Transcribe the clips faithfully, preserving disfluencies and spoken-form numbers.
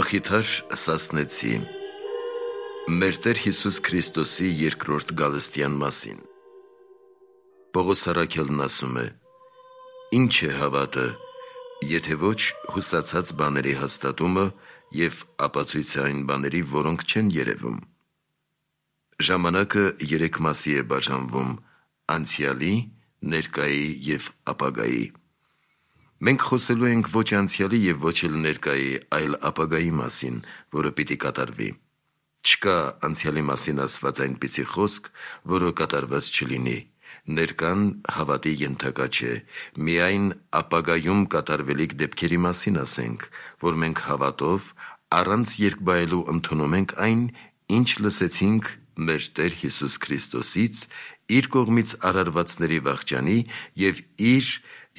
Մխիթար Սասնեցի մեր Տեր Հիսուս Քրիստոսի երկրորդ գալստյան մասին։ Պողոս առաքյալն ասում է. «Ինչ է հավատը, եթե ոչ հուսացած բաների հաստատումը և ապացույցը այն բաների, որոնք չեն երևում»։ Ժամանակը երեք մասի է բաժանվում՝ անցյալի, ներկայի և ապագայի։ Մենք խոսելու ենք ոչ անցյալի և ոչ էլ ներկայի, այլ ապագայի մասին, որը պիտի կատարվի։ Չկա անցյալի մասին ասված այնպիսի խոսք, որը կատարված չլինի։ Ներկան հավատի ենթակա չէ, միայն ապագայում կատարվելիք դեպքերի մասին ասենք, որ մենք հավատով, առանց երկբայելու ընդունում ենք այն, ինչ լսեցինք մեր Տեր Հիսուս Քրիստոսից, իր կողմից արարվածների վախճանի և իր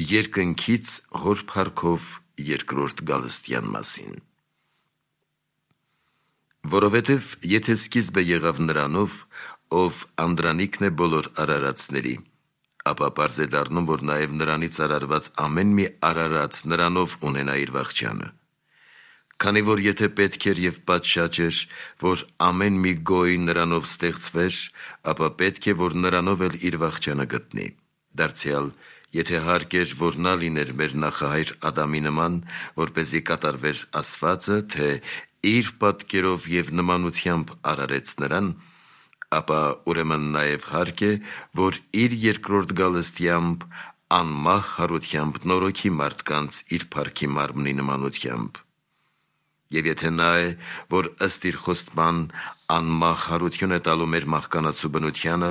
երկնքից Հոր փառքով երկրորդ գալստյան մասին։ Որովհետև եթե սկիզբը եղավ նրանով, ով անդրանիկն է բոլոր արարածների, ապա պարզ է դառնում, որ նաև նրանից արարված ամեն մի արարած նրանով ունենա իր վախճանը։ Քանի որ եթե պետք էր և պատշաճ էր, որ ամեն մի գոյ նրանով ստեղծվեր, ապա պետք է, որ նրանով էլ իր վախճանը գտնի։ Դարձյալ, եթե հարկ էր, որ նա լիներ մեր նախահայր Ադամի նման, որպեսզի կատարվեր ասվածը, թե իր պատկերով և նմանությամբ արարեց նրան, ապա ուրեմն նաև հարկ է, որ իր երկրորդ գալստյամբ անմահ հարությամբ նորոգի մարդկանց իր փառքի մարմնի նմանությամբ։ Եվ եթե նա է, որ ըստ իր խոստման անմահ հարություն է տալու մեր մահկանացու բնությանը,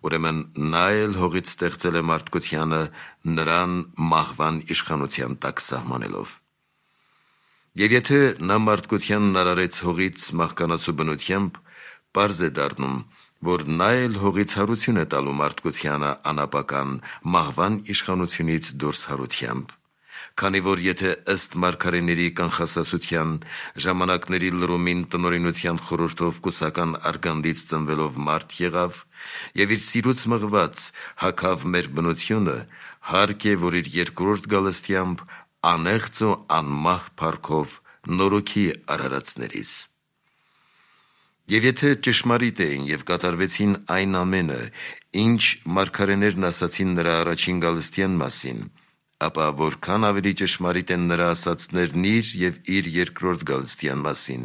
ուրեմն նա էլ հողից ստեղծել է մարդկությանը, նրան մահվան իշխանության տակ սահմանելով։ Եվ եթե նա մարդկությանն արարեց հողից մահկանացու բնությամբ, պարզ է դառնում, որ նա էլ հողից հարություն է տալու մարդկությանը անապական մահվան իշխանությունից դուրս հարությամբ։ Քանի որ եթե ըստ մարգարեների կանխասացության ժամանակների լրումին տնօրինության խորհրդով կուսական արգանդից ծնվելով մարդ եղավ և իր սիրուց մղված հագավ մեր բնությունը, հարկ է, որ իր երկրորդ գալստյամբ անեղծ ու անմահ փառքով նորոգի արարածներիս։ Եվ եթե ճշմարիտ էին և կատարվեցին այն ամենը, ինչ մարգարեներն ասացին նրա առաջին գալստյան մասին, ապա որքան ավելի ճշմարիտ են նրա ասածներն իր և իր երկրորդ գալստյան մասին,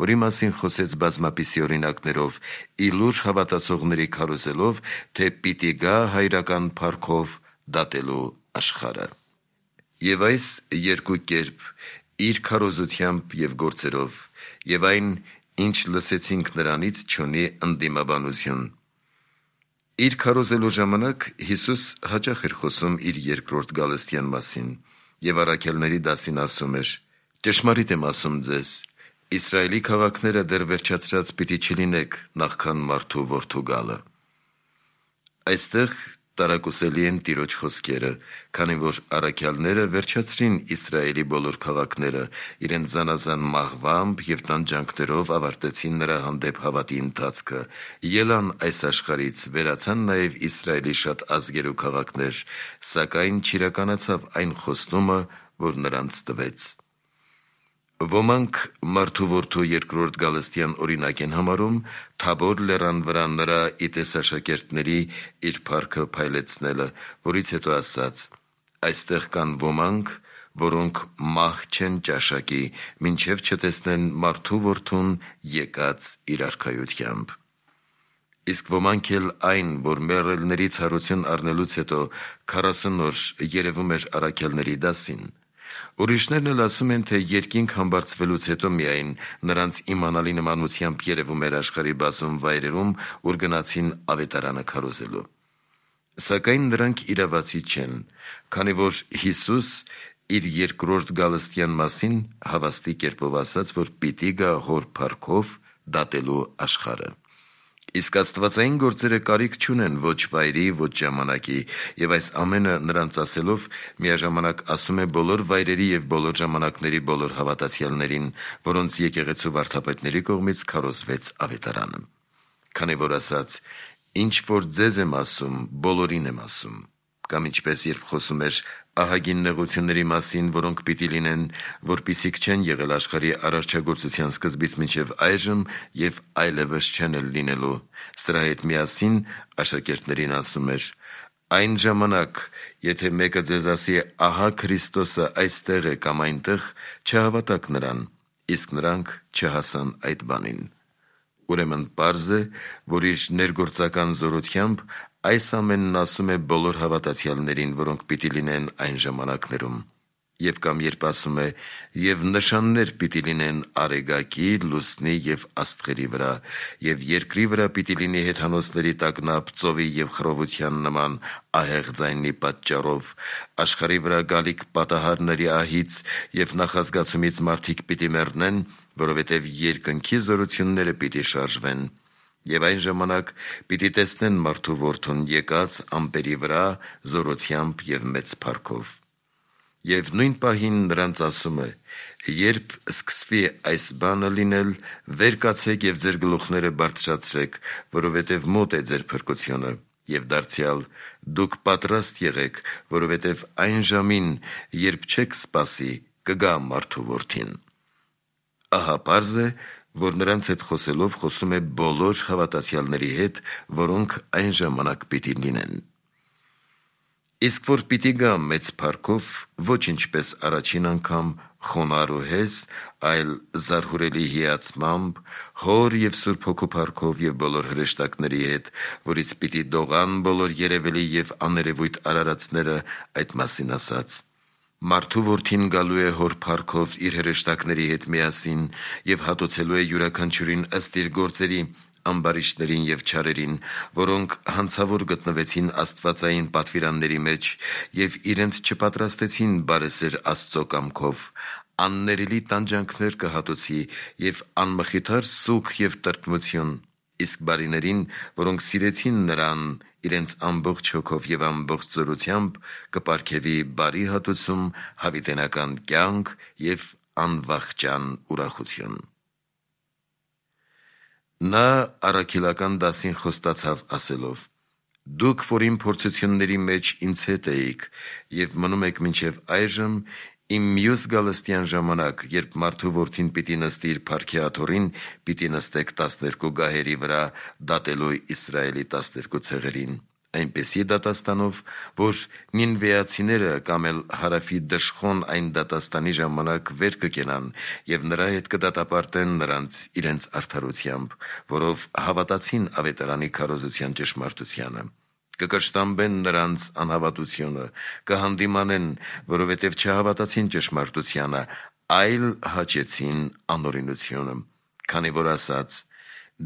որի մասին խոսեց բազմապիսի օրինակներով, ի լուր հավատացողների քարոզելով, թե պիտի գա հայրական փառքով դատելու աշխարհը։ Եվ այս երկու կերպ, իր քարոզությամբ և գործերով, և այն, ինչ լսեցինք նրանից, չունի ընդդիմաբանություն։ Իր քարոզելու ժամանակ Հիսուս հաճախ էր խոսում իր երկրորդ գալստյան մասին և առաքյալների դասին ասում էր. «Ճշմարիտ եմ ասում ձեզ, Իսրայելի քաղաքները դեռ վերջացրած պիտի չլինեք, նախքան մարդու որդու գալը»։ Այստեղ տարակուսելի են Տիրոջ խոսքերը, քանի որ առաքյալները վերջացրին Իսրայելի բոլոր քաղաքները, իրենց զանազան մահվամբ և տանջանքներով ավարտեցին նրա հանդեպ հավատի ընթացքը, ելան այս աշխարհից, վերացան նաև Իսրայելի շատ ազգեր ու քաղաքներ, սակայն չիրականացավ այն խոստումը, որ նրանց տվեց։ Ոմանք մարդու որդու երկրորդ գալստյան օրինակ են համարում Թաբոր լեռան վրա նրա ի տեսաշակերտների իր փառքը փայլեցնելը, որից հետո ասաց. «Այստեղ կան ոմանք, որոնք մահ չեն ճաշակի, մինչև չտեսնեն մարդու որդուն եկած իր արքայությամբ»։ Իսկ ոմանք էլ այն, որ մեռելներից հարություն առնելուց հետո քառասուն օր երևում էր առաքյալների դասին։ Ուրիշներն էլ ասում են, թե երկինք համբարձվելուց հետո միայն նրանց իմանալի նմանությամբ երևում էր աշխարհի բազում վայրերում, ուր գնացին ավետարանը քարոզելու։ Սակայն նրանք իրավացի չեն, քանի որ Հիսուս իր երկրորդ գալստյան մասին հավաստի կերպով ասաց, որ պիտի գա Հոր փառքով դատելու աշխարհը։ Իսկ աստվածային գործերը կարիք չունեն ոչ վայրի, ոչ ժամանակի, և այս ամենը նրանց ասելով միաժամանակ ասում է բոլոր վայրերի և բոլոր ժամանակների բոլոր հավատացյալներին, որոնց եկեղեցու վարդապետների կողմից քարոզվեց ավետարանը։ Քանի որ ասաց. «Ինչ որ ձեզ եմ ասում, բոլորին եմ ասում», կամ ինչպես երբ խոսում էր ահագին նեղությունների մասին, որոնք պիտի լինեն, որպիսիք չեն եղել աշխարհի արարչագործության սկզբից մինչև այժմ և այլևս չեն էլ լինելու։ Սրա հետ միասին աշակերտներին ասում էր. «Այն ժամանակ, եթե մեկը ձեզ ասի, ահա Քրիստոսը այստեղ է կամ այնտեղ, չհավատաք նրան», իսկ նրանք չհասան այդ բանին։ Ուրեմն պարզ է, որ իր ներգործական զորությամբ այս ամենն ասում է բոլոր հավատացյալներին, որոնք պիտի լինեն այն ժամանակներում։ Եվ կամ երբ ասում է. «Եվ նշաններ պիտի լինեն արեգակի, լուսնի և աստղերի վրա, և երկրի վրա պիտի լինի հեթանոսների տագնապ, ծովի և խռովության նման ահեղ ձայնի պատճառով, աշխարհի վրա գալիք պատահարների ահից և նախազգացումից մարդիկ պիտի մեռնեն, որովհետև երկնքի զորությունները պիտի շարժվեն։ Եվ այն ժամանակ պիտի տեսնեն մարդու որդուն եկած ամպերի վրա զորությամբ և մեծ փառքով։ Եվ նույն պահին նրանց ասում է. երբ սկսվի այս բանը լինել, վեր կացեք և ձեր գլուխները բարձրացրեք, որովհետև մոտ է ձեր փրկությունը, և դարձյալ դուք պատրաստ եղեք, որովհետև այն ժամին, երբ չեք սպասի, կգա մարդու որդին»։ Ահա պարզ է, որ նրանց հետ խոսելով խոսում է բոլոր հավատացյալների հետ, որոնք այն ժամանակ պիտի լինեն։ Իսկ որ պիտի գա մեծ փառքով, ոչ ինչպես առաջին անգամ խոնարհ ու հեզ, այլ զարհուրելի հիացմամբ, Հոր և Սուրբ Հոգու փառքով և բոլոր հրեշտակների հետ, որից պիտի դողան բոլոր երևելի և աներևույթ արարածները, այդ մասին ասաց. «Մարդու որդին գալու է Հոր փառքով իր հրեշտակների հետ միասին և հատուցելու է յուրաքանչյուրին ըստ իր գործերի, ամբարիշտներին և չարերին, որոնք հանցավոր գտնվեցին աստվածային պատվիրանների մեջ և իրենց չպատրաստեցին բարեսեր Աստծո կամքով, աններելի տանջանքներ կհատուցի և անմխիթար սուգ և տրտմություն, իսկ բարիներին, որոնք սիրեցին նրան իրենց ամբողջ հոգով և ամբողջ զորությամբ, կպարգևի բարի հատուցում, հավիտենական կյանք և անվախճան ուրախություն»։ Նա առաքելական դասին խոստացավ ասելով. «Դուք, որ իմ փորձությունների մեջ ինձ հետ էիք և մնում եք մինչև այժմ, իմ մյուս գալստյան ժամանակ, երբ մարդու որդին պիտի նստի իր փառքի աթոռին, պիտի նստեք տասներկու գահերի վրա, դատելու Իսրայելի տասներկու ցեղերին, այնպիսի դատաստանով, որ նինվեացիները կամ էլ Հարավի դժխոն այն դատաստանի ժամանակ վեր կկենան և նրա հետ կդատապարտեն նրանց իրենց արդարությամբ, որով հավատացին Ավետարանի քարոզության ճշմարտությանը։ Կկշտամբեն նրանց անհավատությունը, կհանդիմանեն, որովհետև չհավատացին ճշմարտությանը, այլ հաճեցին անօրենությունը, քանի որ ասաց.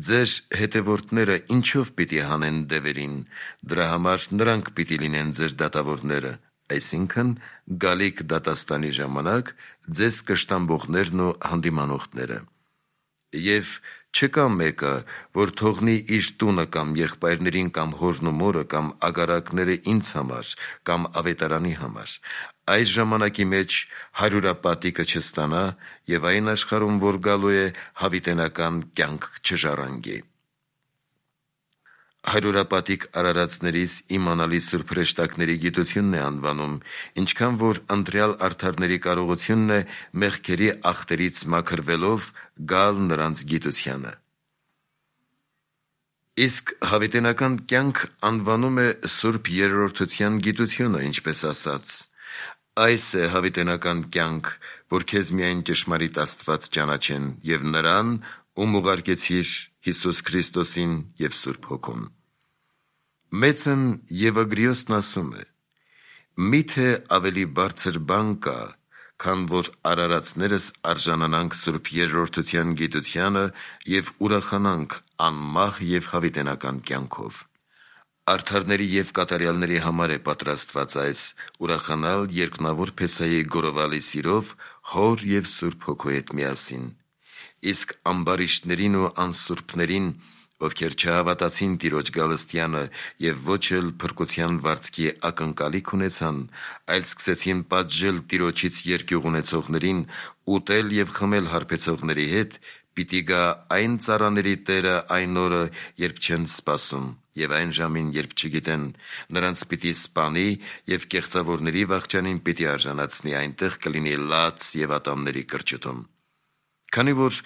«Ձեր հետևորդները ինչով պիտի հանեն դևերին, դրա համար նրանք պիտի լինեն ձեր դատավորները», այսինքն գալիք դատաստանի ժամանակ ձեզ կշտամբողներն ու հանդիմանողները։ Եվ չկա մեկը, որ թողնի իր տունը կամ եղբայրներին կամ հորն ու մորը կամ ագարակները ինձ համար կամ Ավետարանի համար, այս ժամանակի մեջ հարյուրապատիկը չստանա և այն աշխարհում, որ գալու է, հավիտենական կյանք չժառանգի։ Հարյուրապատիկ արարածներիս իմանալի սուրբ հրեշտակների գիտությունն է անվանում, ինչքան որ ընտրյալ արդարների կարողությունն է մեղքերի ախտերից մաքրվելով գալ նրանց գիտությանը։ Իսկ հավիտենական կյանք անվանում է սուրբ երրորդության գիտությունը, ինչպես ասաց. «Այս է հավիտենական կյանք, որ քեզ միայն ճշմարիտ Աստված ճանաչեն և նրան, ում ուղարկեցիր, Հիսուս Քրիստոսին և Սուրբ Հոգուն»։ Մեծն Եվագրիոսն ասում է. «Մի՞թե ավելի բարձր բան կա, քան որ արարածներս արժանանանք սուրբ երրորդության գիտությանը և ուրախանանք անմահ և հավիտենական կյանքով»։ Արդարների և կատարյալների համար է պատրաստված այս ուրախանալ երկնավոր Փեսայի գորովալի սիրով Հոր և Սուրբ Հոգու հետ միասին։ Իսկ ամբարիշտներին ու անսուրբներին, ովքեր չհավատացին Տիրոջ գալստյանը և ոչ էլ փրկության վարձքի ակնկալիք ունեցան, այլ սկսեցին պատժել Տիրոջից երկյուղ ունեցողներին, ուտել և խմել հարբեցողների հետ, պիտի գա այն ծառաների Տերը այն օրը, երբ չեն սպասում, Եվ այն ժամին, երբ չգիտեն, նրանց պիտի սպանի և կեղծավորների վախճանին պիտի արժանացնի, այնտեղ կլինի լաց և ատամների կրճտում։ Քանի որ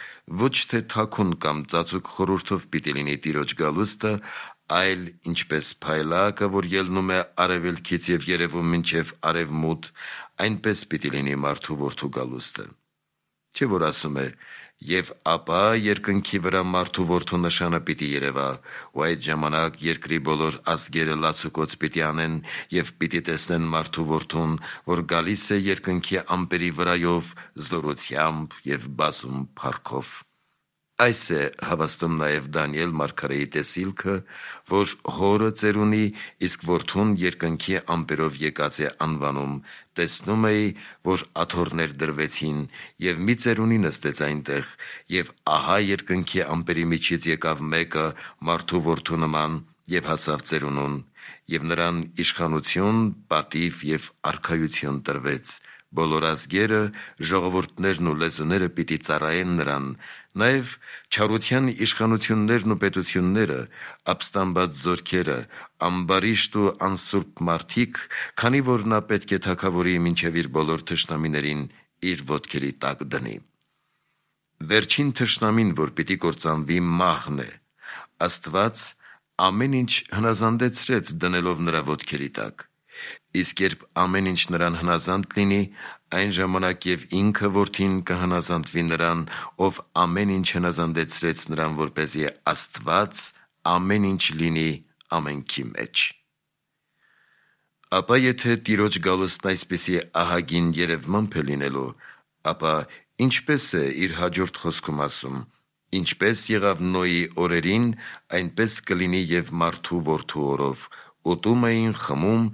ոչ թե թաքուն կամ ծածուկ խորհուրդով պիտի լինի Տիրոջ գալուստը, այլ ինչպես փայլակը, որ ելնում է արևելքից և երևում մինչև արևմուտ, այնպես պիտի լինի մարդու որդու գալուստը։ Չէ՞ որ ասում է. «Եվ ապա երկնքի վրա մարդու որդու նշանը պիտի երևա, ու այդ ժամանակ երկրի բոլոր ազգերը լացուկոծ պիտի անեն և պիտի տեսնեն մարդու որդուն, որ գալիս է երկնքի ամպերի վրայով զորությամբ և բազում փառքով»։ Այս է հավաստում նաև Դանիել մարգարեի տեսիլքը, որ հորը ծեր ունի, իսկ որդուն երկնքի ամպերով եկած է անվանում. տեսնում էի, որ աթոռներ դրվեցին, և մի ծերունի նստեց այնտեղ, և ահա երկնքի ամպերի միջից եկավ մեկը մարդու որդու նման և հասավ ծերունուն, և նրան իշխանություն, պատիվ և արքայություն տրվեց։ Բոլոր ազգերը, ժողովուրդներն ու լեզուները պիտի ծառայեն նրան, նաև չարության իշխանություններն ու պետությունները, ապստամբած զորքերը, ամբարիշտ ու անսուրբ մարդիկ, քանի որ նա պետք է թագավորի մինչև իր բոլոր թշնամիներին իր ոտքերի տակ դնի։ Վերջին թշնամին, որ պիտի կործանվի, մահն է։ Աստված ամեն ինչ հնազանդեցրեց դնելով նրա ոտքերի տակ։ Իսկ երբ ամեն ինչ նրան հնազանդ լինի, այն ժամանակ և ինքը որդին կհնազանդվի նրան, ով ամեն ինչ հնազանդեցրեց նրան, որպեսզի Աստված ամեն ինչ լինի ամենքի մեջ։ Ապա եթե Տիրոջ գալուստն այսպիսի ահագին երևմամբ է լինելու, ապա ինչպես է իր հաջորդ խոսքում ասում. «Ինչպես եղավ Նոյի օրերին, այնպես կլինի և մարդու որդու օրով. ուտում էին, խմում,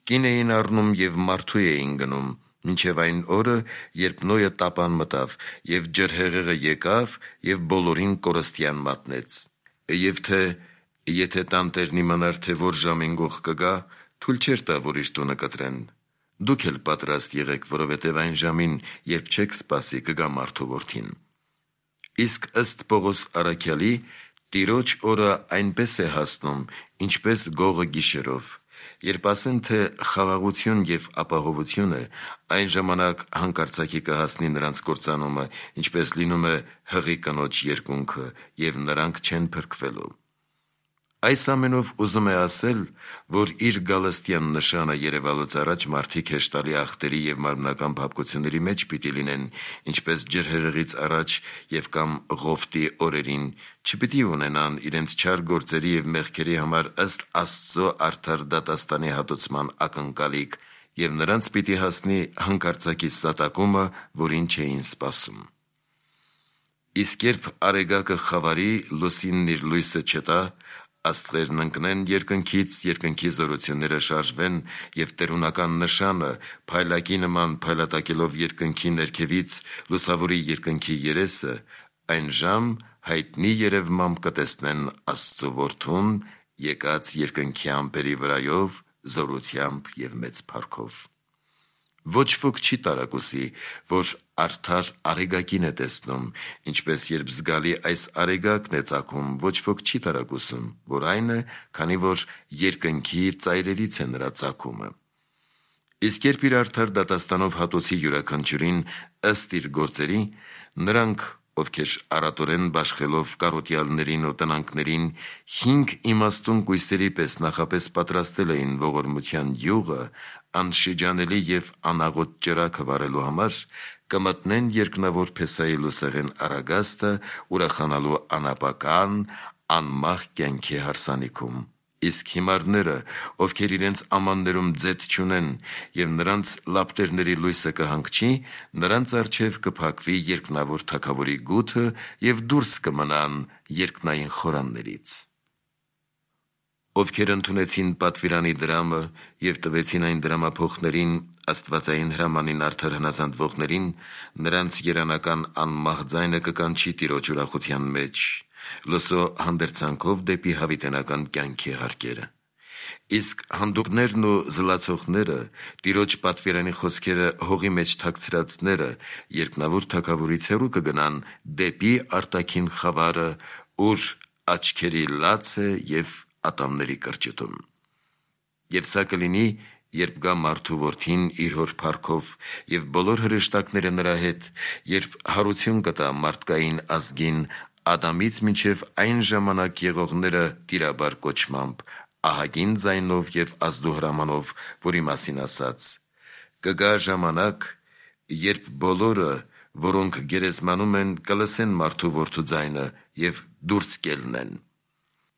կին էին առնում և մարդու էին գնում, մինչև այն օրը, երբ Նոյը տապան մտավ, և ջրհեղեղը եկավ և բոլորին կորստյան մատնեց։ Եվ թե եթե տանտերն իմանար, թե որ ժամին գող կգա, թույլ չէր տա, որ իր տունը կտրեն։ Դուք էլ պատրաստ եղեք, որովհետև այն ժամին, երբ չեք սպասի, կգա մարդու որդին»։ Իսկ ըստ Պողոս առաքյալի, Տիրոջ օրը այնպես է հասնում, ինչպես գողը գիշերով։ Երբ ասեն, թե խաղաղություն և ապահովություն է, այն ժամանակ հանկարծակի կհասնի նրանց կործանումը, ինչպես լինում է հղի կնոջ երկունքը, և նրանք չեն փրկվելու։ Այս ամենով ուզում է ասել, որ իր գալստյան նշանը երևալուց առաջ մարդիկ հեշտալի ախտերի և մարմնական փափկությունների մեջ պիտի լինեն, ինչպես ջրհեղեղից առաջ և կամ Ղովտի օրերին, չպիտի ունենան իրենց չար գործերի և մեղքերի համար ըստ Աստծո արդար դատաստանի հատուցման ակնկալիք, և նրանց պիտի հասնի հանկարծակի սատակումը, որին չէին սպասում։ Իսկ երբ արեգակը խավարի, լուսինն իր լույսը չտա, աստղերն ընկնեն երկնքից, երկնքի զորությունները շարժվեն, և տերունական նշանը, փայլակի նման փայլատակելով երկնքի ներքևից լուսավորի երկնքի երեսը, այն ժամ հայտնի երևմամբ կտեսնեն Աստծու որդուն, եկած երկնքի ամպերի վրայով զորությամբ և մեծ փառքով։ Ոչ ոք չի տարակուսի, որ արդար արեգակին է տեսնում, ինչպես երբ զգալի այս արեգակն է ծագում, ոչ ոք չի տարակուսում, որ այն է, քանի որ երկնքի ծայրերից է նրա ծագումը։ Իսկ երբ իր արդար դատաստանով հատուցի յուրաքանչյուրին ըստ իր գործերի, նրանք, ովքեր առատորեն բաշխելով կարոտյալներին ու տնանքներին, հինգ իմաստուն կույսերի պես նախապես պատրաստել էին ողորմության յուղը, անշիջանելի և անաղոտ ճրագը վառելու համար, կմտնեն երկնավոր Փեսայի լուսեղեն առագաստը՝ ուրախանալու անապական, անմահ կյանքի հարսանիքում։ Իսկ հիմարները, ովքեր իրենց ամաններում ձեթ չունեն, և նրանց լապտերների լույսը կհանգչի, նրանց առջև կփակվի երկնավոր թագավորի գութը, և դուրս կմնան երկնային խորաններից։ Ովքեր ընդունեցին պատվիրանի դրամը և տվեցին այն դրամափոխներին, աստվածային հրամանին արդար հնազանդվողներին, նրանց երանական անմահ ձայնը կկանչի Տիրոջ ուրախության մեջ, լսո հանդերձանքով դեպի հավիտենական կյանքի հարկերը։ Իսկ հանդուկներն ու զլացողները, Տիրոջ պատվիրանի խոսքերը հողի մեջ թաքցրածները, երկնավոր թագավորից հեռու կգնան դեպի արտաքին խավարը, ուր աչքերի լաց է և ատամների կրճտում։ Եվ սա կլինի, երբ գա մարդու որդին իր հոր փառքով և բոլոր հրեշտակները նրա հետ, երբ հարություն կտա մարդկային ազգին Ադամից մինչև այն ժամանակ եղողները տիրաբար կոչմամբ, ահագին ձայնով և ազդուհրամանով, որի մասին ասաց. «Կգա ժամանակ, երբ բոլորը, որոնք գերեզմանում են, կլսեն մարդու որդու ձայնը և դուրս կելնեն։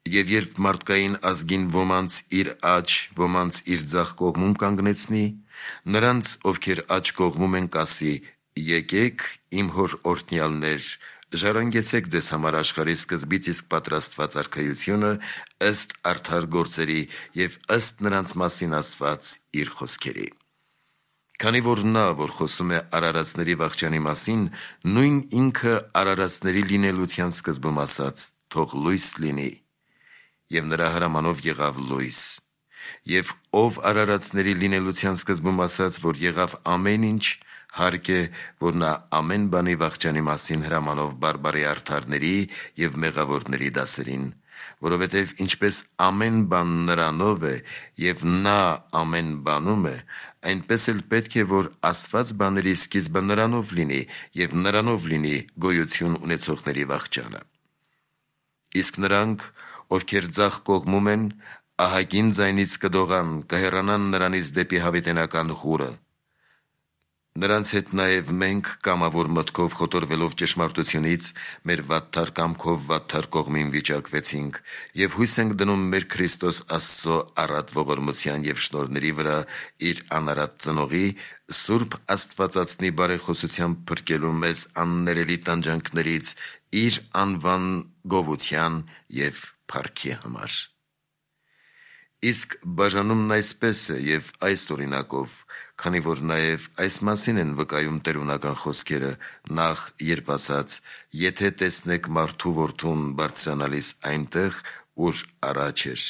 Եվ երբ մարդկային ազգին ոմանց իր աջ, ոմանց իր ձախ կողմում կանգնեցնի, նրանց, ովքեր աջ կողմում են, կասի. եկեք, իմ հոր օրհնյալներ, ժառանգեցեք ձեզ համար աշխարհի սկզբից իսկ պատրաստված արքայությունը ըստ արդար գործերի և ըստ նրանց մասին ասված իր խոսքերի»։ Քանի որ նա, որ խոսում է արարածների վախճանի մասին, նույն ինքը արարածների լինելության սկզբում ասաց. «Թող լույս լինի», և նրա հրամանով եղավ լույս, և ով արարածների լինելության սկզբում ասաց, որ եղավ ամեն ինչ, հարկ է, որ նա ամեն բանի վախճանի մասին հրամանով բարբառի արդարների և մեղավորների դասերին, որովհետև ինչպես ամեն բան նրանով է և նա ամեն բանում է, այնպես էլ պետք է, որ ասված բաների սկիզբը նրանով լինի և նրանով լինի գոյություն ունեցողների վախճանը։ Իսկ նրանք, ովքեր ձախ կողմում են, ահագին ձայնից կդողան, կհեռանան նրանից դեպի հավիտենական հուրը։ Նրանց հետ նաև մենք կամավոր մտքով խոտորվելով ճշմարտությունից, մեր վատթար կամքով վատթար կողմին վիճակվեցինք և հույս ենք դնում մեր Քրիստոս Աստծո առատ ողորմության և շնորհների վրա իր անարատ ծնողի, Սուրբ Աստվածածնի բարեխոսությամբ փրկելու մեզ աններելի տանջանքներից իր անվան գովության և փառքի համար։ Իսկ բաժանումն այսպես է և այս օրինակով, քանի որ նաև այս մասին են վկայում տերունական խոսքերը, նախ, երբ ասաց. «Եթե տեսնեք մարդու որդուն բարձրանալիս այնտեղ, ուր առաջ էր»,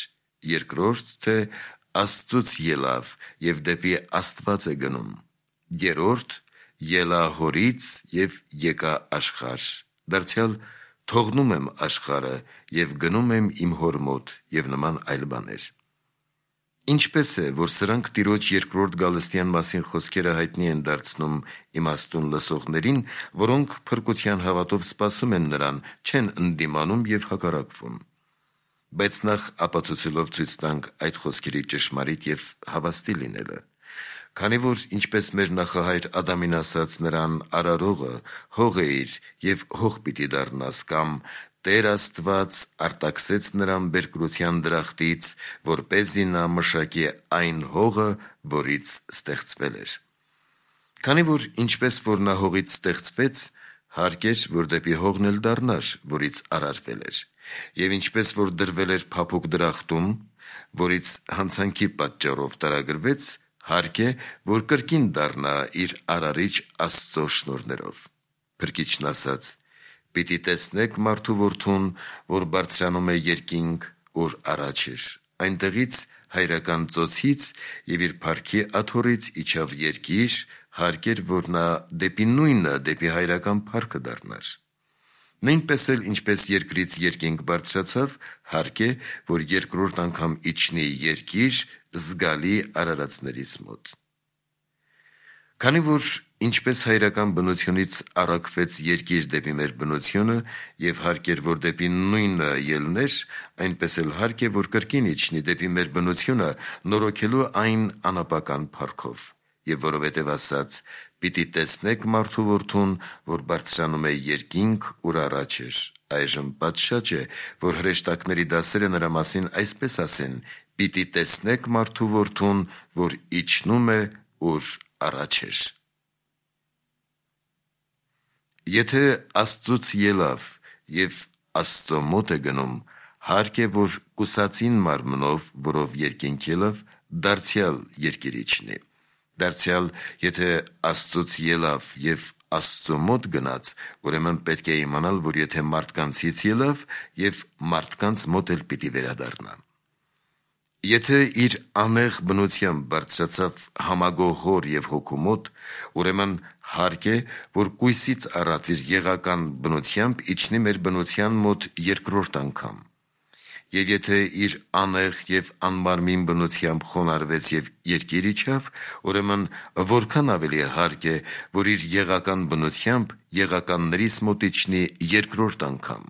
երկրորդ, թե «Աստծուց ելավ և դեպի Աստված է գնում», երրորդ. «Ելա հորից և եկա աշխարհ», դարձյալ «Թողնում եմ աշխարհը և գնում եմ իմ հոր մոտ» և նման այլ բաներ։ Ինչպե՞ս է, որ սրանք Տիրոջ երկրորդ գալստյան մասին խոսքերը հայտնի են դարձնում իմաստուն լսողներին, որոնք փրկության հավատով սպասում են նրան, չեն ընդդիմանում և հակառակվում։ Բայց նախ ապացուցելով ցույց տանք այդ խոսքերի ճշմարիտ և հավաստի լինելը։ Քանի որ, ինչպես մեր նախահայր Ադամին ասաց նրան արարողը, հող էիր և հող պիտի դառնաս, կամ Տեր Աստված արտաքսեց նրան բերկրության դրախտից, որպեսզի նա մշակի այն հողը, որից ստեղծվել էր։ Քանի որ ինչպես որ նա հողից ստեղծվեց, հարկ էր, որ դեպի հողն էլ դառնար, որից արարվել էր, և ինչպես որ դրվել էր փափուկ դրախտում, որից հանցանքի պատճառով տարագրվեց, հարկ է, որ կրկին դառնա իր արարիչ Աստծո շնորհներով։ Փրկիչն ասաց. «Պիտի տեսնեք մարդու որդուն, որ բարձրանում է երկինք, ուր առաջ էր, այնտեղից հայրական ծոցից և իր փառքի աթոռից իջավ երկիր, հարկ էր, որ նա դեպի նույնը, դեպի հայրական փառքը դառնար։ Նույնպես էլ, ինչպես երկրից երկինք բարձրացավ, հարկ է, որ երկրորդ անգամ իջնի երկիր զգալի արարածներիս մոտ։ Քանի որ ինչպես հայրական բնությունից առաքվեց երկիր դեպի մեր բնությունը, և հարկ էր, որ դեպի նույնը ելներ, այնպես էլ հարկ է, որ կրկին իջնի դեպի մեր բնությունը, նորոգելու այն անապական փառքով։ Եվ որովհետև ասաց. «Պիտի տեսնեք մարդու որդուն, որ բարձրանում է երկինք, ուր առաջ էր», այժմ պատշաճ է, որ հրեշտակների դասերը նրա մասին այսպես ասեն. «Պիտի տեսնեք մարդու որդուն, որ իջնում է, ուր առաջ էր»։ Եթե Աստծուց ելավ և Աստծո մոտ է գնում, հարկ է, որ կուսածին մարմնով, որով երկինք ելավ, դարձյալ երկիր իջնի։ Դարձյալ, եթե Աստծուց ելավ և Աստծո մոտ գնաց, ուրեմն պետք է իմանալ, որ եթե մարդկանցից ելավ, և մարդկանց մոտ էլ պիտի վերադառնա։ Եթե իր անեղ բնությամբ բարձրացավ համագող հոր և հոգու մոտ, ուրեմն հարկ է, որ կույսից առած իր եղական բնությամբ իջնի մեր բնության մոտ երկրորդ անգամ։ Եվ եթե իր անեղ և անմարմին բնությամբ խոնարհվեց և երկիր իջավ, ուրեմն որքան ավելի հարկ է, որ իր եղական բնությամբ եղականներից մոտ իջնի երկրորդ անգամ։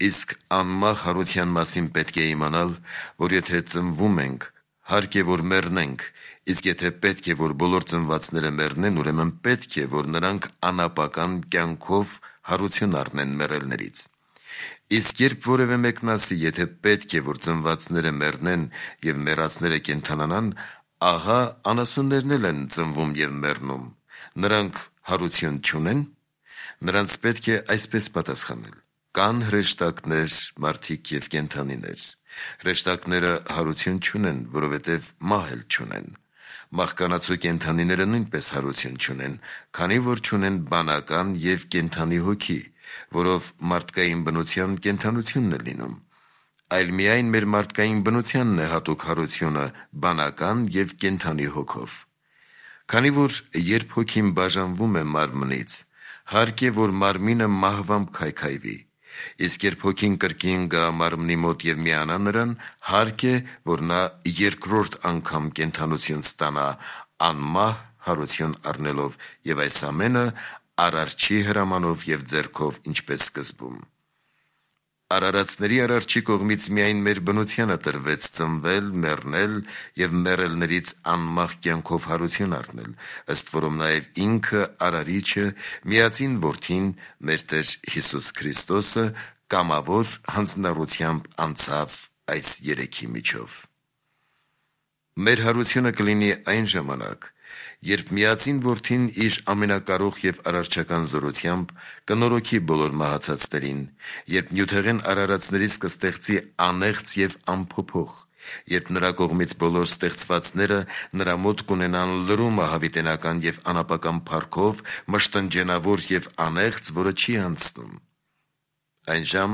Իսկ անմահ հարության մասին պետք է իմանալ, որ եթե ծնվում ենք, հարկ է, որ մեռնենք, իսկ եթե պետք է, որ բոլոր ծնվածները մեռնեն, ուրեմն պետք է, որ նրանք անապական կյանքով հարություն առնեն մեռելներից։ Իսկ երբ որևէ մեկն ասի, եթե պետք է, որ ծնվածները մեռնեն և մեռածները կենդանանան, ահա անասուններն էլ են ծնվում և մեռնում, նրանք հարություն չունեն։ Նրանց պետք է այսպես պատասխանել. կան հրեշտակներ, մարդիկ և կենդանիներ։ Հրեշտակները հարություն չունեն, որովհետև մահ էլ չունեն։ Մահկանացու կենդանիները նույնպես հարություն չունեն, քանի որ չունեն բանական և կենդանի հոգի, որով մարդկային բնության կենդանությունն է լինում, այլ միայն մեր մարդկային բնությանն է հատուկ հարությունը բանական և կենդանի հոգով։ Քանի որ երբ հոգին բաժանվում է մարմնից, հարկ է, որ մարմինը մահվամբ քայքայվի, իսկ երբ հոգին կրկին գա մարմնի մոտ և միանա նրան, հարկ է, որ նա երկրորդ անգամ կենդանություն ստանա անմահ հարություն առնելով, և այս ամենը Արարչի հրամանով և ձեռքով, ինչպես սկզբում։ Արարածների Արարչի կողմից միայն մեր բնությանը տրվեց ծնվել, մեռնել և մեռելներից անմահ կյանքով հարություն առնել, ըստ որում նաև ինքը Արարիչը, միածին Որդին, մեր Տեր Հիսուս Քրիստոսը կամավոր հանձնառությամբ անցավ այս երեքի միջով։ Մեր հարությունը կլինի այն ժամանակ, երբ միածին Որդին իր ամենակարող և արարչական զորությամբ կնորոգի բոլոր մահացածներին, երբ նյութեղեն արարածներից կստեղծի անեղծ և անփոփոխ, երբ նրա կողմից բոլոր ստեղծվածները նրա մոտ կունենան լրումը հավիտենական և անապական փառքով, մշտնջենավոր և անեղծ, որը չի անցնում։ Այնժամ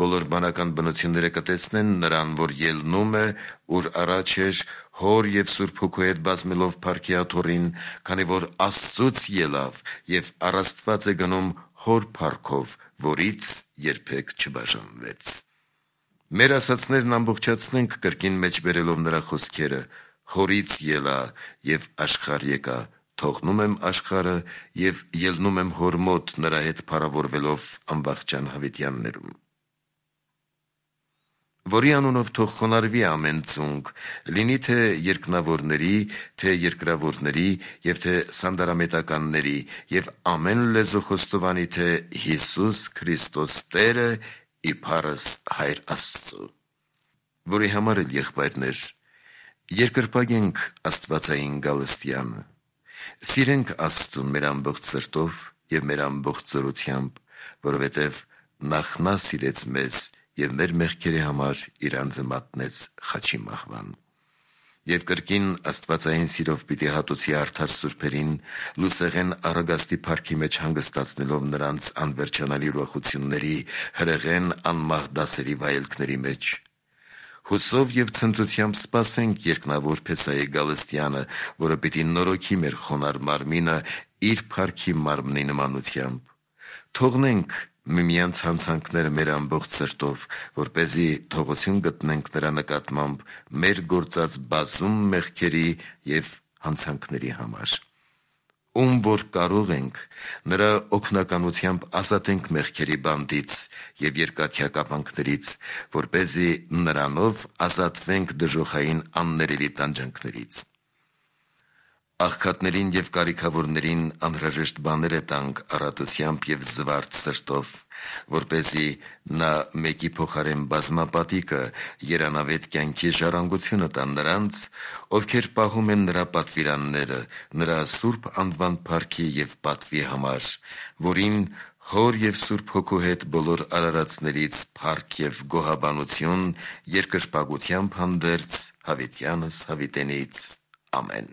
բոլոր բանական բնությունները կտեսնեն նրան, որ ելնում է, ուր առաջ էր, Հոր և Սուրբ Հոգու հետ բազմելով փառքի աթոռին, քանի որ Աստծուց ելավ և առաստված է գնում Հոր փառքով, որից երբեք չբաժանվեց։ Մեր ասացներն ամբողջացնենք կրկին մեջ բերելով նրա խոսքերը. «Հորից ելա և աշխարհ եկա, թողնում եմ աշխարհը և ելնում եմ Հոր մոտ, նրա հետ փառավորվելով անվախճան հավիտյաններում»։ Որի անունով թող խոնարհվի ամեն ծունկ, լինի թե երկնավորների, թե երկրավորների և թե սանդարամետականների, և ամեն լեզու խոստովանի, թե Հիսուս Քրիստոս Տեր է, իբարս Հայր Աստծու։ Որի համար էլ, եղբայրներ, երկրպագենք աստվածային գալստյանը, սիրենք Աստծուն մեր ամբողջ սրտով և մեր ամբողջ զորությամբ, որովհետև նախ նա սիրեց մեզ և մեր մեղքերի համար իր անձը մատնեց խաչի մահվան։ Եվ կրկին աստվածային սիրով պիտի հատուցի արդար սուրբերին, լուսեղեն առագաստի փառքի մեջ հանգստացնելով նրանց անվերջանալի ուրախությունների, հրեղեն անմահ դասերի վայելքների մեջ։ Հուսով և ցնծությամբ սպասենք երկնավոր Փեսայի գալստյանը, որը պիտի նորոգի մեր խոնարհ մարմինը իր փառքի մարմնի նմանությամբ։ Թողնենք միմյանց հանցանքները մեր ամբողջ սրտով, որպեսզի թողություն գտնենք նրա նկատմամբ մեր գործած բազում մեղքերի և հանցանքների համար։ Ում որ կարող ենք, նրա օգնականությամբ ազատենք մեղքերի բանտից և երկաթյա կապանքներից, որպեսզի նրանով ազատվենք դժոխային աններելի տանջանքներից։ Աղքատներին և կարիքավորներին անհրաժեշտ բաներ է տանք առատությամբ և զվարթ սրտով, որպեսզի նա մեկի փոխարեն բազմապատիկը երանավետ կյանքի ժառանգությունը տա նրանց, ովքեր պահում են նրա պատվիրանները, նրա սուրբ անվան փառքի և պատվի համար, որին Հոր և Սուրբ Հոգու հետ բոլոր արարածներից փառք և գոհաբանություն երկրպագությամբ հանդերձ հավիտյանս հավիտենից։ Ամեն։